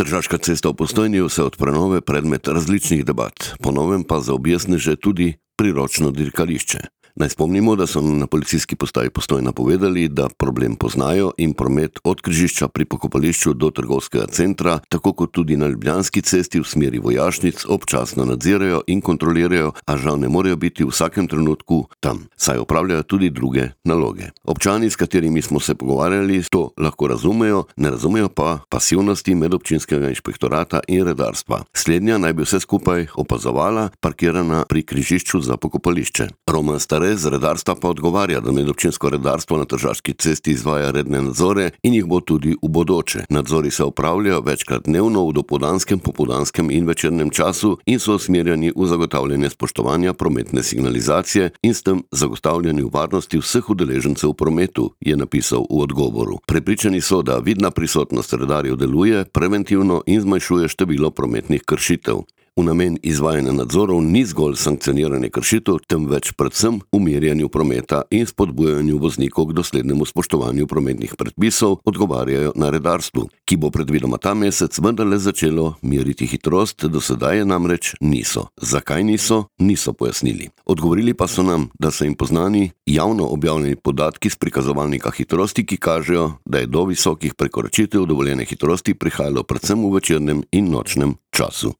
Tržaška cesta v Postojni je vse od prenove predmet različnih debat, po novem pa za objestneže tudi priročno dirkališče. Naj spomnimo, da so na policijski postaji Postojna povedali, da problem poznajo in promet od križišča pri pokopališču do trgovskega centra, tako kot tudi na Ljubljanski cesti v smeri Vojašnic, občasno nadzirajo in kontrolirajo, a žal ne morejo biti v vsakem trenutku tam, saj opravljajo tudi druge naloge. Občani, s katerimi smo se pogovarjali, to lahko razumejo, ne razumejo pa pasivnosti medobčinskega inšpektorata in redarstva. Slednja naj bi vse skupaj opazovala, parkirana pri križišču za pokopališče. Roman z redarstva pa odgovarja, da medobčinsko redarstvo na Tržaški cesti izvaja redne nadzore in jih bo tudi v bodoče. Nadzori se opravljajo večkrat dnevno v dopoldanskem, popoldanskem in večernem času in so usmerjeni v zagotavljanje spoštovanja prometne signalizacije in s tem zagotavljanju varnosti vseh udeležencev v prometu, je napisal v odgovoru. Prepričani so, da vidna prisotnost redarjev deluje preventivno in zmanjšuje število prometnih kršitev. V namen izvajanja nadzorov ni zgolj sankcioniranje kršitev, temveč predvsem umirjanju prometa in spodbujanju voznikov k doslednemu spoštovanju prometnih predpisov, odgovarjajo na redarstvu, ki bo predvidoma ta mesec vendarle začelo meriti hitrost, do sedaj je namreč niso. Zakaj niso pojasnili. Odgovorili pa so nam, da so jim poznani javno objavljeni podatki z prikazovalnika hitrosti, ki kažejo, da je do visokih prekoračitev dovoljene hitrosti prihajalo predvsem v večernem in nočnem času.